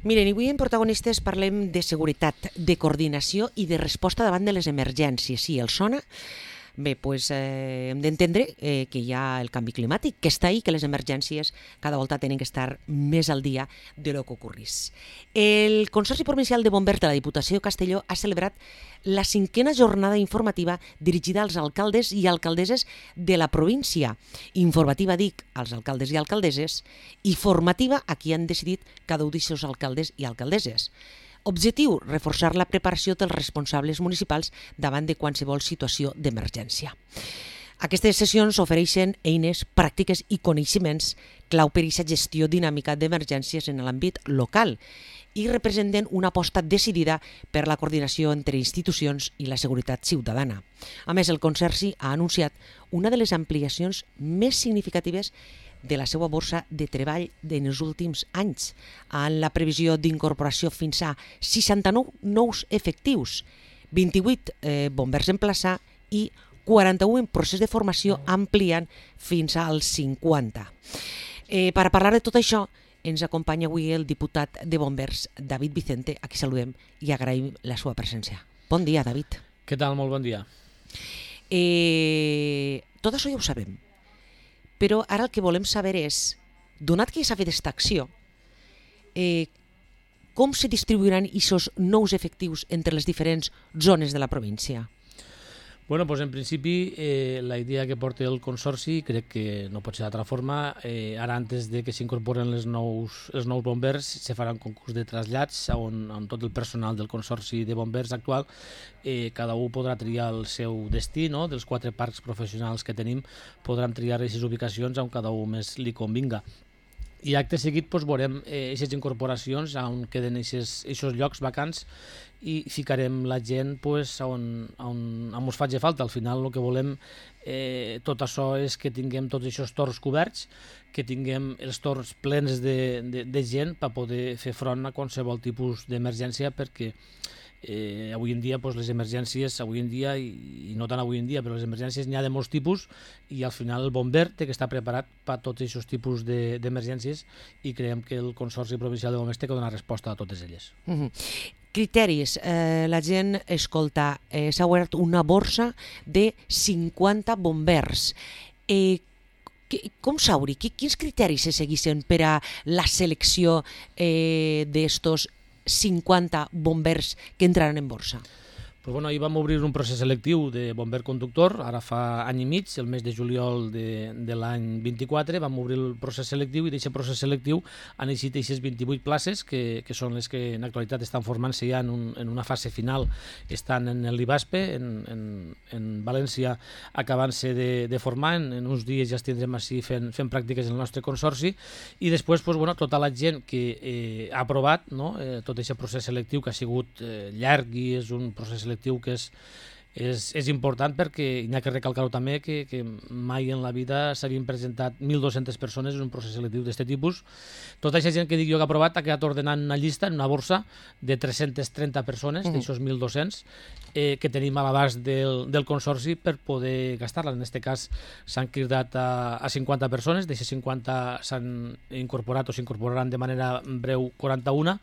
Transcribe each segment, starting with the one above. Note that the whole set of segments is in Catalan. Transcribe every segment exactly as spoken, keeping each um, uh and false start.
Miren, avui en Protagonistes parlem de seguretat, de coordinació i de resposta davant de les emergències. Sí, els sona? Bé, doncs eh, hem d'entendre eh, que hi ha el canvi climàtic, que està ahí, que les emergències cada volta tenen que estar més al dia de lo que ocorrís. El Consorci Provincial de Bombers de la Diputació de Castelló ha celebrat la cinquena jornada informativa dirigida als alcaldes i alcaldesses de la província. Informativa, dic, als alcaldes i alcaldesses, i formativa a qui han decidit cada un dels seus alcaldes i alcaldesses. Objectiu, reforçar la preparació dels responsables municipals davant de qualsevol situació d'emergència. Aquestes sessions ofereixen eines, pràctiques i coneixements clau per a aquesta gestió dinàmica d'emergències en l'àmbit local i representen una aposta decidida per la coordinació entre institucions i la seguretat ciutadana. A més, el Consorci ha anunciat una de les ampliacions més significatives de la seva borsa de treball en els últims anys, amb la previsió d'incorporació fins a seixanta-nou nous efectius, vint-i-vuit eh, bombers en plaça i quaranta-u en procés de formació, ampliant fins als cinquanta. Eh, per a parlar de tot això, ens acompanya avui el diputat de Bombers, David Vicente, a qui saludem i agraïm la seva presència. Bon dia, David. Què tal? Molt bon dia. Eh, tot això ja ho sabem, però ara el que volem saber és, donat que s'ha fet aquesta acció, eh, com se distribuiran aquests nous efectius entre les diferents zones de la província? Bueno, doncs en principi eh, la idea que porta el Consorci crec que no pot ser d'altra forma. Eh, ara, antes de que s'incorporen els nous, els nous bombers, se farà un concurs de trasllats on, on tot el personal del Consorci de Bombers actual eh, cada un podrà triar el seu destí, no? Dels quatre parcs professionals que tenim podran triar aquestes ubicacions on cada un més li convinga. I acte seguit doncs, veurem aquestes eh, incorporacions on queden aquests llocs vacants i ficarem la gent pues, on, on, on ens faci falta. Al final el que volem eh, tot això és que tinguem tots aquests torns coberts, que tinguem els torns plens de, de, de gent per poder fer front a qualsevol tipus d'emergència, perquè Eh, avui en dia pues, les emergències, avui en dia i, i no tant avui en dia, però les emergències n'hi ha de molts tipus i al final el bomber té que estar preparat per a tots aquests tipus d'emergències de, i creiem que el Consorci Provincial de Bombers té que donar resposta a totes elles. Mm-hmm. Criteris. Eh, la gent escolta, eh, s'ha obert una borsa de cinquanta bombers. Eh, com s'hauri? Quins criteris se seguissin per a la selecció eh, d'estos cinquanta bombers que entraran en borsa? Pues bueno, ahir vam obrir un procés selectiu de bomber conductor, ara fa any i mig, el mes de juliol de, de l'any vint-i-quatre, vam obrir el procés selectiu i d'aquest procés selectiu han eixit aquestes vint-i-vuit places que, que són les que en l'actualitat estan formant-se ja en, un, en una fase final, estan en l'IBASPE, en, en, en València, acabant-se de, de formar, en, en uns dies ja els tindrem així fent, fent pràctiques en el nostre consorci i després pues, bueno, tota la gent que eh, ha aprovat no, eh, tot aquest procés selectiu que ha sigut eh, llarg i és un procés selectiu que és, és, és important perquè hi ha que recalcar-ho també que, que mai en la vida s'havien presentat mil dues-centes persones en un procés selectiu d'aquest tipus. Tota aquesta gent que dic jo que ha aprovat ha quedat ordenant una llista en una borsa de tres-centes trenta persones, mm. d'aixòs mil dos-cents, eh, que tenim a l'abast del, del Consorci per poder gastar-la. En aquest cas s'han cridat a, a cinquanta persones, d'aquestes cinquanta s'han incorporat o s'incorporaran de manera breu quaranta-una,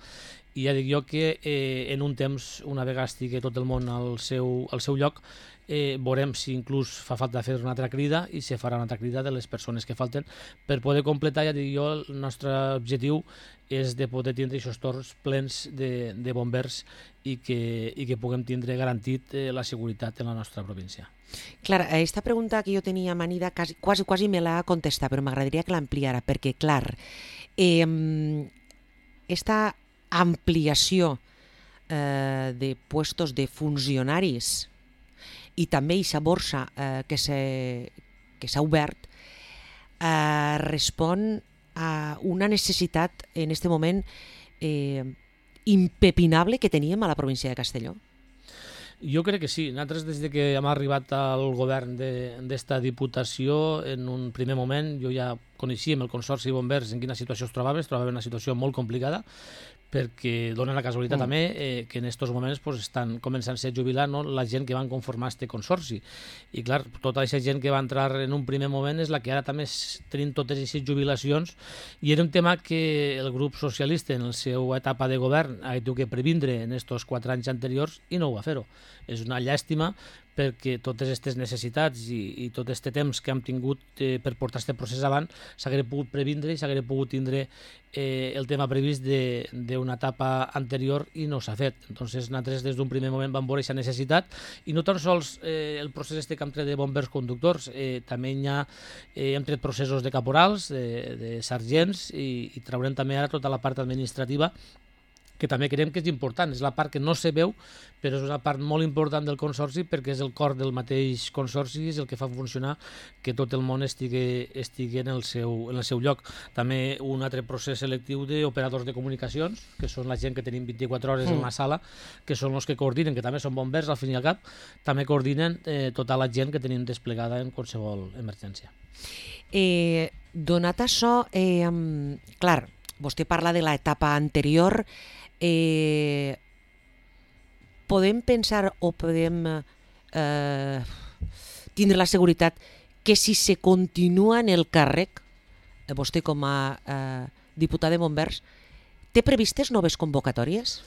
i ja dic jo que eh, en un temps, una vegada estigui tot el món al seu, al seu lloc, eh, veurem si inclús fa falta fer una altra crida i se farà una altra crida de les persones que falten per poder completar. Ja dic jo, el nostre objectiu és de poder tindre aquests torns plens de, de bombers i que, i que puguem tindre garantit eh, la seguretat en la nostra província. Clar, aquesta pregunta que jo tenia manida quasi, quasi, quasi me l'ha contestat, però m'agradaria que l'ampliara, perquè, clar, eh, esta ampliació eh, de puestos de funcionaris i també aquesta borsa eh, que s'ha obert eh, respon a una necessitat en aquest moment eh, impepinable que teníem a la província de Castelló. Jo crec que sí. Nosaltres, des que hem arribat al govern d'esta Diputació, en un primer moment jo ja coneixíem el Consorci de Bombers en quina situació es trobava, es trobava en una situació molt complicada, perquè dona la casualitat mm. també eh, que en aquests moments pues, estan començant-se a jubilar, no, la gent que van conformar este consorci. I clar, tota aquesta gent que va entrar en un primer moment és la que ara també tenim totes aquestes jubilacions, i era un tema que el grup socialista en la seva etapa de govern ha tingut que previndre en aquests quatre anys anteriors i no ho va fer-ho. És una llàstima perquè totes aquestes necessitats i, i tot aquest temps que hem tingut eh, per portar aquest procés avant s'hagués pogut previndre i s'hagués pogut tindre eh, el tema previst d'una etapa anterior i no s'ha fet. Entonces, nosaltres des d'un primer moment vam veure aquesta necessitat, i no tan sols eh, el procés este que hem tret de bombers conductors, eh, també hi ha, eh, hem tret processos de caporals, de, de sergents, i, i traurem també ara tota la part administrativa, que també creiem que és important. És la part que no se veu, però és una part molt important del consorci, perquè és el cor del mateix consorci, és el que fa funcionar que tot el món estigui, estigui en, el seu, en el seu lloc. També un altre procés selectiu d'operadors de comunicacions, que són la gent que tenim vint-i-quatre hores mm. en la sala, que són els que coordinen, que també són bombers al fin i al cap, també coordinen eh, tota la gent que tenim desplegada en qualsevol emergència. Eh, donat això, eh, clar, vostè parla de l'etapa anterior. Eh, podem pensar o podem eh, tindre la seguretat que si se continua en el càrrec, eh, vostè com a eh, diputat de bombers, té previstes noves convocatòries?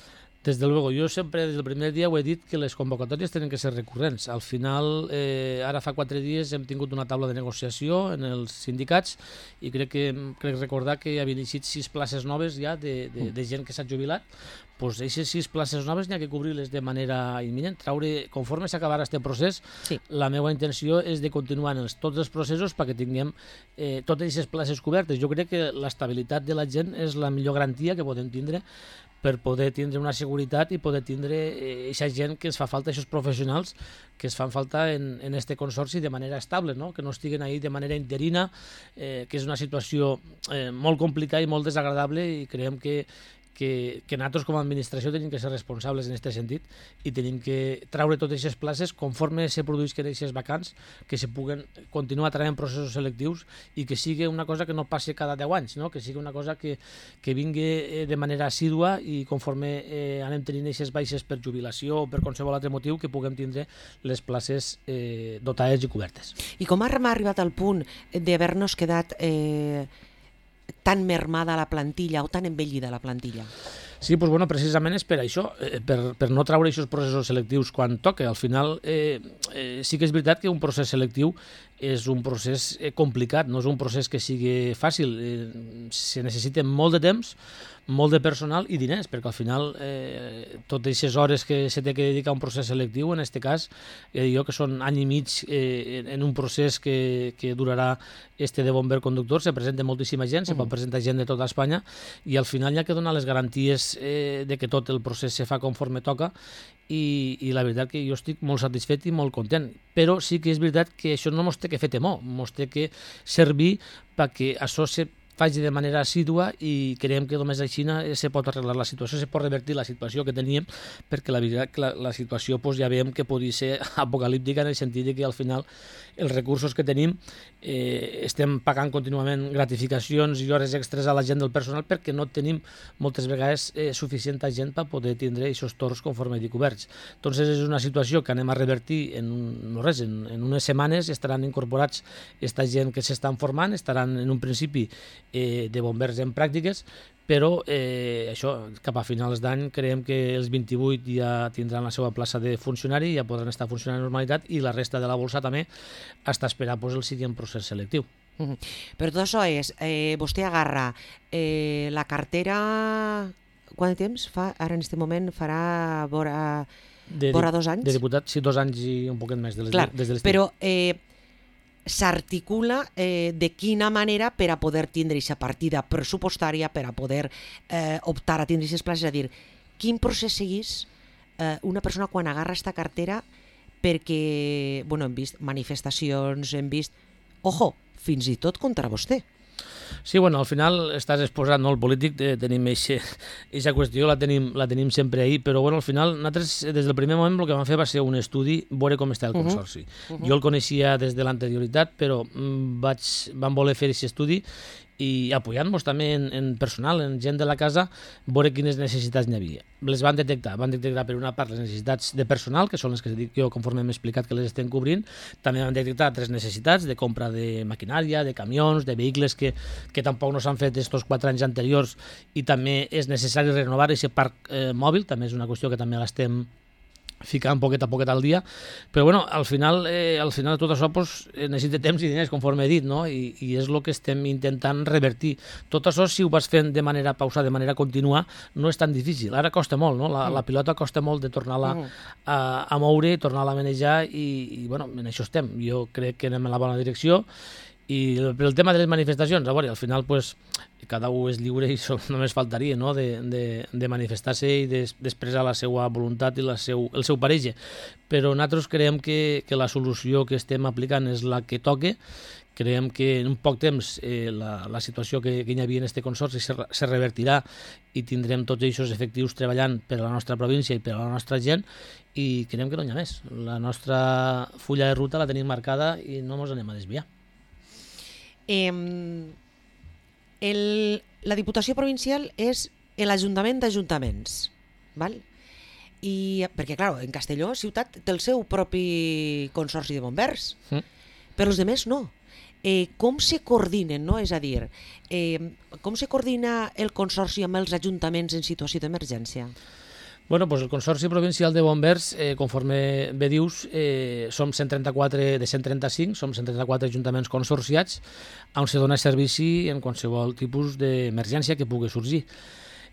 Desde luego, yo siempre desde el primer dia ho he dit que les convocatòries tenen que ser recurrents. Al final, eh, ara fa quatre dies hem tingut una taula de negociació en els sindicats i crec que crec recordar que havien eixit sis places noves ja de, de, de gent que s'ha jubilat. Pues aquestes sis places noves n'hi ha que cobrir-les de manera imminent. Traure, conforme s'acabarà aquest procés, sí. La meva intenció és de continuar en els, tots els processos perquè tinguem eh, totes aquestes places cobertes. Jo crec que l'estabilitat de la gent és la millor garantia que podem tindre per poder tindre una seguretat i poder tindre aquesta gent que ens fa falta, aquests professionals que es fan falta en, en este consorci de manera estable, no? Que no estiguen ahí de manera interina, eh, que és una situació eh, molt complicada i molt desagradable, i creiem que que, que nosaltres com a administració tenim que ser responsables en aquest sentit i tenim que traure totes aquestes places conforme se produïsquen aquestes vacants, que se puguen continuar traient processos selectius i que sigui una cosa que no passi cada deu anys, no? Que sigui una cosa que, que vingui de manera assídua i conforme eh, anem tenint aquestes baixes per jubilació o per qualsevol altre motiu que puguem tindre les places eh, dotades i cobertes. I com hem arribat al punt d'haver-nos quedat eh, tan mermada la plantilla o tan envellida la plantilla? Sí, doncs, bueno, precisament és per això, eh, per, per no traure aquests processos selectius quan toca. Al final eh, eh, sí que és veritat que un procés selectiu és un procés eh, complicat, no és un procés que sigui fàcil. Eh, se necessita molt de temps, molt de personal i diners, perquè al final eh, totes aquestes hores que se té que dedicar a un procés selectiu, en aquest cas, eh, jo que són any i mig eh, en un procés que, que durarà este de bomber conductor, se presenta moltíssima gent, se pot presentar gent de tota Espanya, i al final hi ha que donar les garanties eh, de que tot el procés se fa conforme toca, i, i la veritat que jo estic molt satisfet i molt content, però sí que és veritat que això no mos té que fer temor, mos té que servir perquè això se faci de manera assídua, i creiem que només així se pot arreglar la situació, se pot revertir la situació que teníem, perquè la veritat que la, la situació pues, ja veiem que podia ser apocalíptica en el sentit que al final els recursos que tenim eh, estem pagant contínuament gratificacions i hores extres a la gent del personal perquè no tenim moltes vegades eh, suficient gent per poder tindre aquests torns conforme dic coberts. Entonces és una situació que anem a revertir en, no res, en, en unes setmanes estaran incorporats aquesta gent que s'estan formant, estaran en un principi eh, de bombers en pràctiques, però eh, això, cap a finals d'any creiem que els vint-i-vuit ja tindran la seva plaça de funcionari, ja podran estar funcionant en normalitat, i la resta de la bolsa també està esperant pues, el següent procés selectiu. Mm-hmm. Però tot això és, eh, vostè agarra eh, la cartera, quant de temps fa? Ara en aquest moment farà vora, de, vora dos anys? De diputat, sí, dos anys i un poquet més de les, Clar, des de l'estiu. Però eh, s'articula eh, de quina manera per a poder tindre aquesta partida pressupostària, per a poder eh, optar a tindre aquestes places, és a dir, quin procés seguís eh, una persona quan agarra aquesta cartera, perquè bueno, hem vist manifestacions, hem vist, ojo, fins i tot contra vostè. Sí, bueno, al final estàs exposat, no? El polític, eh, tenim aquesta qüestió, la tenim, la tenim sempre ahí, però bueno, al final nosaltres des del primer moment el que vam fer va ser un estudi, veure com està el consorci. Uh -huh. Jo el coneixia des de l'anterioritat, però mm, vaig, vam voler fer aquest estudi i apoyant-nos també en, en personal, en gent de la casa, veure quines necessitats n'hi havia. Les van detectar, van detectar per una part les necessitats de personal, que són les que dic jo conforme m'he explicat que les estem cobrint, també van detectar altres necessitats de compra de maquinària, de camions, de vehicles que, que tampoc no s'han fet estos quatre anys anteriors i també és necessari renovar aquest parc eh, mòbil, també és una qüestió que també l'estem ficant poquet a poquet al dia, però bueno, al final, eh, al final tot això pues, necessita temps i diners, conforme he dit, no? I, i és el que estem intentant revertir. Tot això, si ho vas fent de manera pausada, de manera contínua, no és tan difícil. Ara costa molt, no? La, mm. la pilota costa molt de tornar-la mm. a, a moure, tornar-la a manejar i, i bueno, en això estem. Jo crec que anem en la bona direcció. I el, el tema de les manifestacions, a veure, al final pues, cada un és lliure i això només faltaria, no? de, de, de manifestar-se i d'expressar la seva voluntat i la seu, el seu pareix. Però nosaltres creiem que, que la solució que estem aplicant és la que toque. Creiem que en un poc temps eh, la, la situació que, que hi havia en aquest consorci se, se revertirà i tindrem tots aquests efectius treballant per a la nostra província i per a la nostra gent i creiem que no hi ha més. La nostra fulla de ruta la tenim marcada i no ens anem a desviar. Eh, el, la Diputació Provincial és l'Ajuntament d'Ajuntaments, val? I, perquè, clar, en Castelló, ciutat, té el seu propi consorci de bombers, mm. però els altres no. Eh, com se coordinen, no? És a dir, eh, com se coordina el consorci amb els ajuntaments en situació d'emergència? Bueno, pues el Consorci Provincial de Bombers, eh, conforme bé dius, eh, som cent trenta-quatre de cent trenta-cinc, som cent trenta-quatre ajuntaments consorciats on se dona servici en qualsevol tipus d'emergència que pugui sorgir.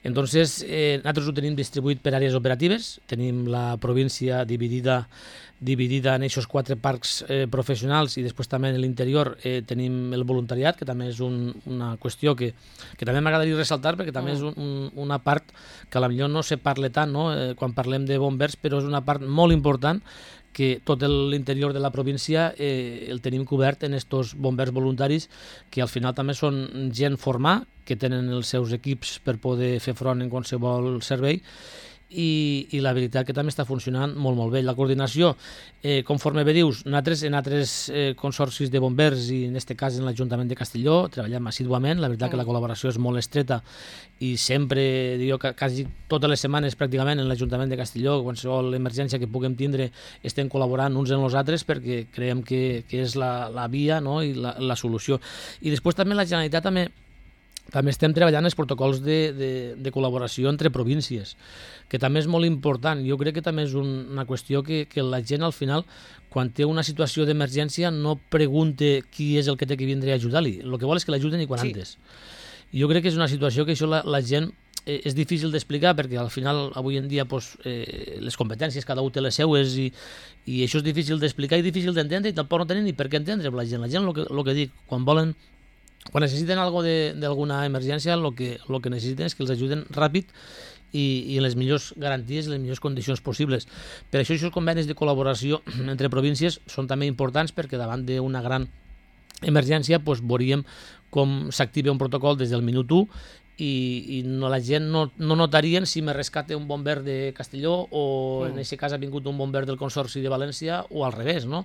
Entonces, eh, nosaltres ho tenim distribuït per àrees operatives, tenim la província dividida dividida en aquests quatre parcs eh, professionals i després també en l'interior eh, tenim el voluntariat, que també és un, una qüestió que, que també m'agradaria ressaltar perquè també mm. és un, un, una part que potser no se parla tant, no? eh, quan parlem de bombers, però és una part molt important que tot l'interior de la província eh, el tenim cobert en estos bombers voluntaris que al final també són gent formada, que tenen els seus equips per poder fer front en qualsevol servei i, i la veritat que també està funcionant molt molt bé. La coordinació, eh, conforme bé dius, nosaltres en altres eh, consorcis de bombers i en aquest cas en l'Ajuntament de Castelló treballem assiduament, la veritat que la col·laboració és molt estreta i sempre, jo, quasi totes les setmanes pràcticament en l'Ajuntament de Castelló, qualsevol emergència que puguem tindre estem col·laborant uns en els altres perquè creiem que, que és la, la via, no? I la, la solució. I després també la Generalitat també També estem treballant els protocols de, de, de col·laboració entre províncies, que també és molt important. Jo crec que també és un, una qüestió que, que la gent al final, quan té una situació d'emergència, no pregunte qui és el que té que vindre a ajudar-li. El que vol és que l'ajuden i quan sí. antes. Jo crec que és una situació que això la, la gent eh, és difícil d'explicar perquè al final avui en dia pues, eh, les competències cada un té les seues i, i això és difícil d'explicar i difícil d'entendre i tampoc no tenen ni per què entendre la gent. La gent, el que, el que dic, quan volen Quan necessiten algo d'alguna emergència, el que, lo que necessiten és que els ajuden ràpid i, i en les millors garanties i les millors condicions possibles. Per això, aquests convenis de col·laboració entre províncies són també importants perquè davant d'una gran emergència pues, veuríem com s'activa un protocol des del minut u i, i no, la gent no, no notarien si me rescate un bomber de Castelló o mm. en aquest cas ha vingut un bomber del Consorci de València o al revés, no?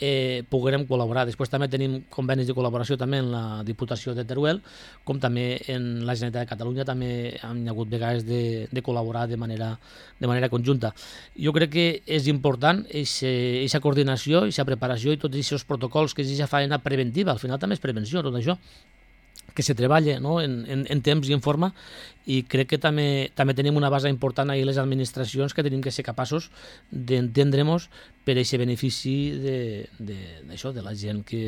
Eh, poguerem col·laborar. Després també tenim convenis de col·laboració també en la Diputació de Teruel, com també en la Generalitat de Catalunya també han hagut vegades de, de col·laborar de manera, de manera conjunta. Jo crec que és important aquesta coordinació, aquesta preparació i tots aquests protocols, que és aquesta feina preventiva, al final també és prevenció tot això, que se treballa, no? en, en, en temps i en forma, i crec que també, també tenim una base important ahir les administracions que tenim que ser capaços d'entendre-nos per aquest benefici de, de, d'això, de la gent que,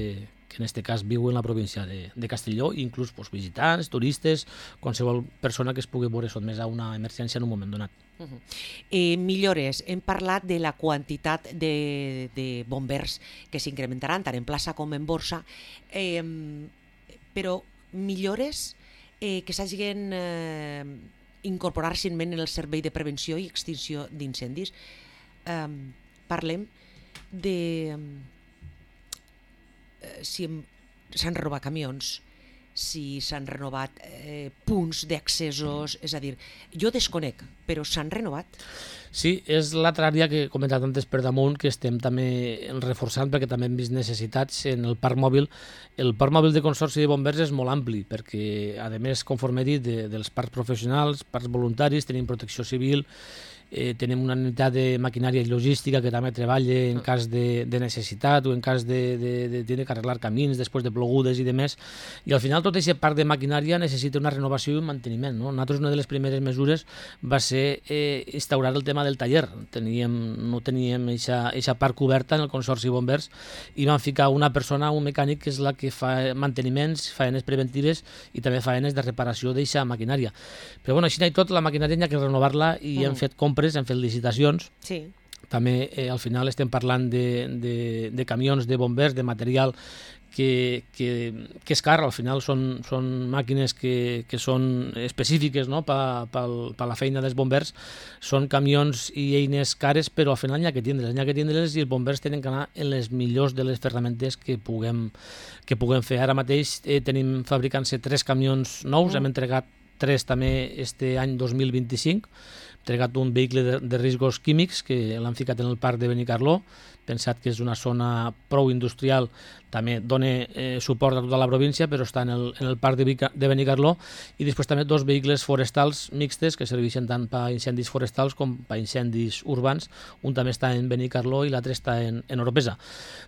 que en aquest cas viu en la província de, de Castelló, inclús pues, visitants, turistes, qualsevol persona que es pugui veure sotmesa a una emergència en un moment donat. Uh-huh. eh, millores, hem parlat de la quantitat de, de bombers que s'incrementaran tant en plaça com en borsa, eh, però millores eh, que s'hagin eh, incorporat recentment en el servei de prevenció i extinció d'incendis. Eh, parlem de eh, si s'han robat camions, si s'han renovat eh, punts d'accessos, és a dir, jo desconec, però s'han renovat? Sí, és l'altra àrea que he comentat antes per damunt, que estem també reforçant perquè també hem vist necessitats en el parc mòbil. El parc mòbil de Consorci de Bombers és molt ampli perquè, a més, conforme he dit, de, dels parcs professionals, parcs voluntaris, tenim protecció civil, eh, tenim una unitat de maquinària i logística que també treballa en cas de, de necessitat o en cas de, de, de, de, de arreglar camins després de plogudes i demés. I al final tot aquest parc de maquinària necessita una renovació i un manteniment, no? Nosaltres una de les primeres mesures va ser eh, instaurar el tema del taller. Teníem, no teníem aquesta part coberta en el Consorci Bombers i vam ficar una persona, un mecànic, que és la que fa manteniments, faenes preventives i també faenes de reparació d'aquesta maquinària. Però bueno, així i tot, la maquinària hi ha que renovar-la i mm. hem fet compres, hem fet licitacions. Sí. També eh, al final estem parlant de, de, de camions de bombers, de material que, que, que és car. Al final són, són màquines que, que són específiques, no? per pa, pa la feina dels bombers. Són camions i eines cares, però al final n'hi ha que tindre-les, n'hi ha que tindre-les i els bombers tenen que anar en les millors de les ferramentes que puguem, que puguem fer. Ara mateix eh, tenim fabricant-se tres camions nous, mm. hem entregat tres també este any dos mil vint-i-cinc, entregat un vehicle de, de riscos químics que l'han ficat en el parc de Benicarló, pensat que és una zona prou industrial, també dona eh, suport a tota la província, però està en el, en el parc de, de Benicarló, i després també dos vehicles forestals mixtes que serveixen tant per a incendis forestals com per a incendis urbans. Un també està en Benicarló i l'altre està en, en Oropesa.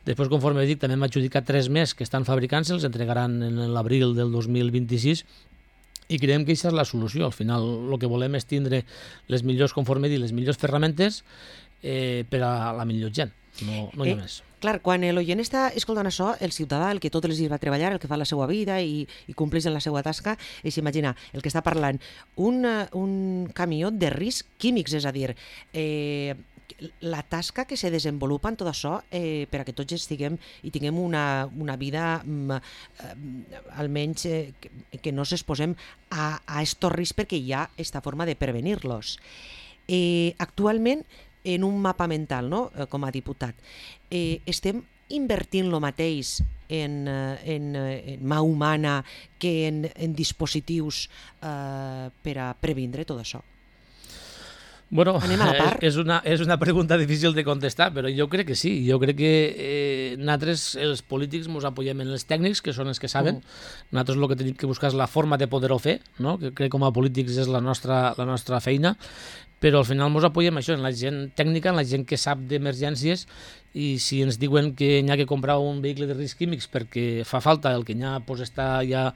Després, conforme dic, també hem adjudicat tres més que estan fabricant-se, els entregaran en l'abril del dos mil vint-i-sis, i creiem que aquesta és la solució. Al final el que volem és tindre les millors, conforme dit, les millors ferramentes eh, per a la millor gent, no, no hi ha eh, més. Clar, quan l'oient està escoltant això, el ciutadà, el que tots els dies va treballar, el que fa la seva vida i, i compleix en la seva tasca, és imaginar el que està parlant, un, un camió de risc químics, és a dir, eh, la tasca que se desenvolupa en tot això eh, per a que tots estiguem i tinguem una, una vida eh, almenys eh, que, que no s'exposem a, a estos riscs perquè hi ha esta forma de prevenir-los. Eh, actualment, en un mapa mental, no? eh, com a diputat, eh, estem invertint lo mateix en, en, en mà humana que en, en dispositius eh, per a previndre tot això? Bueno, Anem a la part. És una, és una pregunta difícil de contestar, però jo crec que sí. Jo crec que eh, nosaltres, els polítics, ens apoyem en els tècnics, que són els que saben. Mm. Nosaltres el que tenim que buscar és la forma de poder-ho fer, no? Que crec que com a polítics és la nostra, la nostra feina, però al final ens apoyem això, en la gent tècnica, en la gent que sap d'emergències, i si ens diuen que n'hi ha que comprar un vehicle de riscs químics perquè fa falta, el que n'hi ha pues, està ja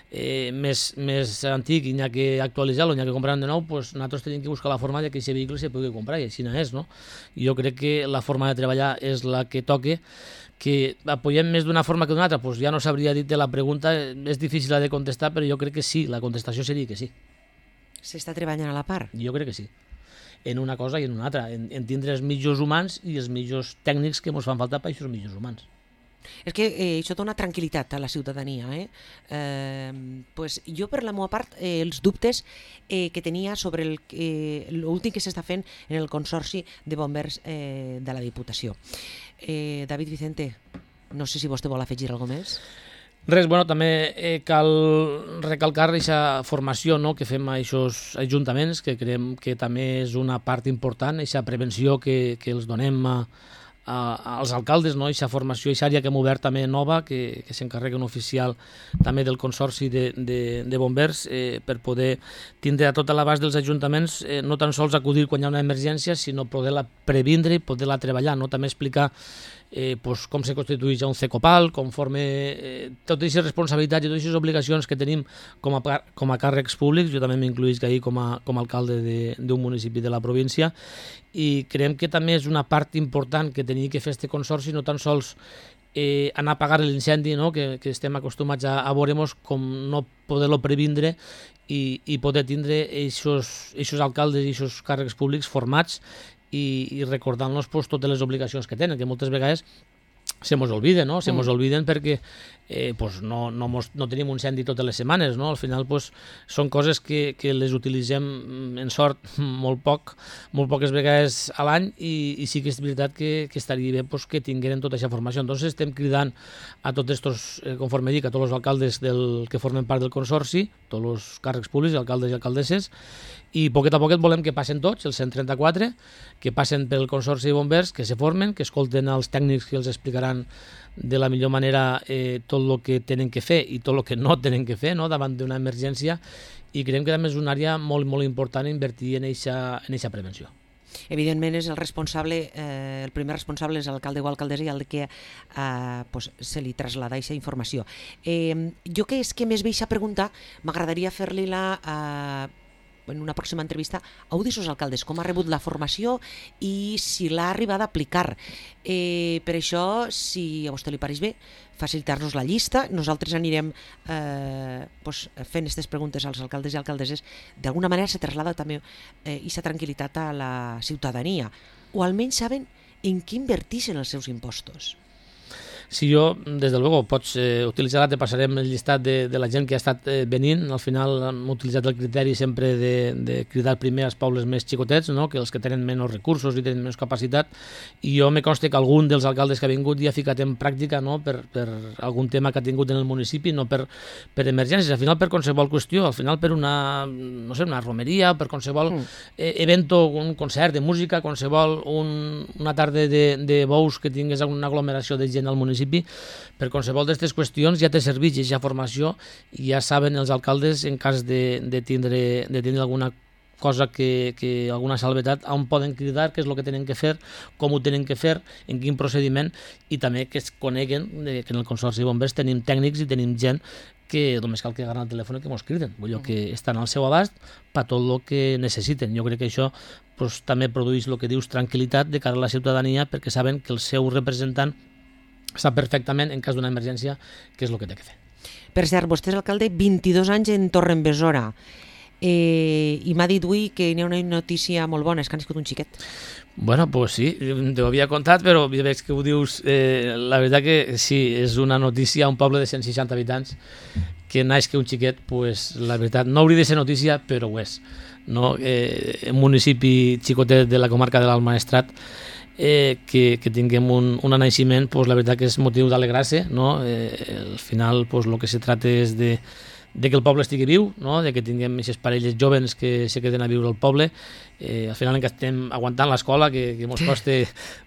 eh, més, més antic i n'hi ha que actualitzar-lo, n'hi ha que comprar de nou, pues, nosaltres tenim que buscar la forma de que aquest vehicle se pugui comprar, i així no és, no? Jo crec que la forma de treballar és la que toque. Que apoyem més d'una forma que d'una altra, pues ja no sabria dir-te la pregunta, és difícil de contestar, però jo crec que sí, la contestació seria que sí. S'està treballant a la part? Jo crec que sí. En una cosa i en una altra, en, en tindre els millors humans i els millors tècnics que ens fan falta per aquests millors humans. És que eh, això dona tranquil·litat a la ciutadania. Eh? Eh, pues jo, per la meva part, eh, els dubtes eh, que tenia sobre l'últim eh, que s'està fent en el Consorci de Bombers eh, de la Diputació. Eh, David Vicente, no sé si vostè vol afegir alguna més. Res, bueno, també eh, cal recalcar aquesta formació, no?, que fem a aquests ajuntaments, que creiem que també és una part important, aquesta prevenció que, que els donem a, a, als alcaldes, no?, aquesta formació, aquesta àrea que hem obert també nova, que, que s'encarrega un oficial també del Consorci de, de, de Bombers, eh, per poder tindre a tot l'abast dels ajuntaments, eh, no tan sols acudir quan hi ha una emergència, sinó poder-la previndre i poder-la treballar, no?, també explicar Eh, pues, com se constitueix un CECOPAL, conforme eh, totes aquestes responsabilitats i totes aquestes obligacions que tenim com a, com a càrrecs públics. Jo també m'incluïsc ahir com a, com a alcalde d'un municipi de la província, i creiem que també és una part important que tenia que fer este consorci, no tan sols eh, anar a apagar l'incendi, no? que, que estem acostumats a, a veure-nos, com no poder-lo previndre i, i poder tindre aquests alcaldes i aquests càrrecs públics formats i, i recordant-nos pues, totes les obligacions que tenen, que moltes vegades se mos olviden, no? Se mos olviden perquè eh, pues no, no, mos, no tenim un incendi totes les setmanes, no? Al final pues, són coses que, que les utilitzem en sort molt poc, molt poques vegades a l'any i, i sí que és veritat que, que estaria bé pues, que tingueren tota aquesta formació. Entonces estem cridant a tots estos, eh, conforme dic, a tots els alcaldes del, que formen part del consorci, tots els càrrecs públics, alcaldes i alcaldesses, i poquet a poquet volem que passen tots, els cent trenta-quatre, que passen pel Consorci de Bombers, que se formen, que escolten els tècnics que els explicaran de la millor manera eh, tot el que tenen que fer i tot el que no tenen que fer, no?, davant d'una emergència, i creiem que també és una àrea molt, molt important invertir en aquesta en eixa prevenció. Evidentment és el responsable, eh, el primer responsable és l'alcalde o alcaldessa i el que eh, pues, se li traslada aquesta informació. Eh, jo que és que més veig a preguntar, m'agradaria fer-li la... Eh, en una pròxima entrevista, a un dels alcaldes, com ha rebut la formació i si l'ha arribat a aplicar. Eh, per això, si a vostè li pareix bé, facilitar-nos la llista, nosaltres anirem eh, pues, fent aquestes preguntes als alcaldes i alcaldesses, d'alguna manera se traslada també aquesta eh, tranquil·litat a la ciutadania, o almenys saben en què inverteixen els seus impostos. Si jo, des de luego, pots eh, utilitzar, te passarem el llistat de, de la gent que ha estat eh, venint. Al final hem utilitzat el criteri sempre de, de cridar primer als pobles més xicotets, no?, que els que tenen menys recursos i tenen menys capacitat, i jo me consta que algun dels alcaldes que ha vingut ja ha ficat en pràctica, no?, per, per algun tema que ha tingut en el municipi, no per, per emergències, al final per qualsevol qüestió, al final per una, no sé, una romeria, per qualsevol mm. eh, evento, un concert de música, qualsevol un, una tarda de, de bous que tingués una aglomeració de gent al municipi, per qualsevol d'aquestes qüestions ja te serveix aquesta formació i ja saben els alcaldes en cas de, de, tindre, de tindre alguna cosa que, que alguna salvetat, on poden cridar, què és el que tenen que fer, com ho tenen que fer, en quin procediment, i també que es coneguen que en el Consorci de Bombers tenim tècnics i tenim gent que només cal que agarren el telèfon i que mos criden, vull dir que estan al seu abast per tot el que necessiten. Jo crec que això pues, també produeix el que dius tranquil·litat de cara a la ciutadania perquè saben que el seu representant sap perfectament, en cas d'una emergència, què és el que té que fer. Per cert, vostè és alcalde vint-i-dos anys en Torredembarra eh, i m'ha dit avui que hi ha una notícia molt bona, és que ha nascut un xiquet. Bueno, pues sí, t'ho havia contat, però veig que ho dius, eh, la veritat que sí, és una notícia a un poble de cent seixanta habitants que naix que un xiquet, pues la veritat, no hauria de ser notícia, però ho és. No? Eh, un municipi xicotet de la comarca de l'Alt Maestrat, Eh, que, que tinguem un, un naixement, pues, la veritat que és motiu d'alegrar-se, no? Eh, al final pues, el que se trata és de, de que el poble estigui viu, no? De que tinguem aquestes parelles joves que se queden a viure al poble. Eh, al final encara estem aguantant l'escola, que, que mos costa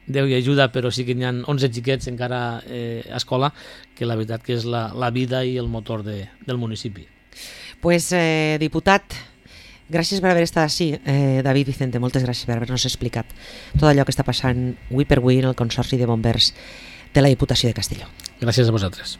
Déu i ajuda, però sí que n'hi ha onze xiquets encara eh, a escola, que la veritat que és la, la vida i el motor de, del municipi. Pues, eh, diputat, gràcies per haver estat així, eh, David Vicente, moltes gràcies per haver-nos explicat tot allò que està passant avui per avui en el Consorci de Bombers de la Diputació de Castelló. Gràcies a vosaltres.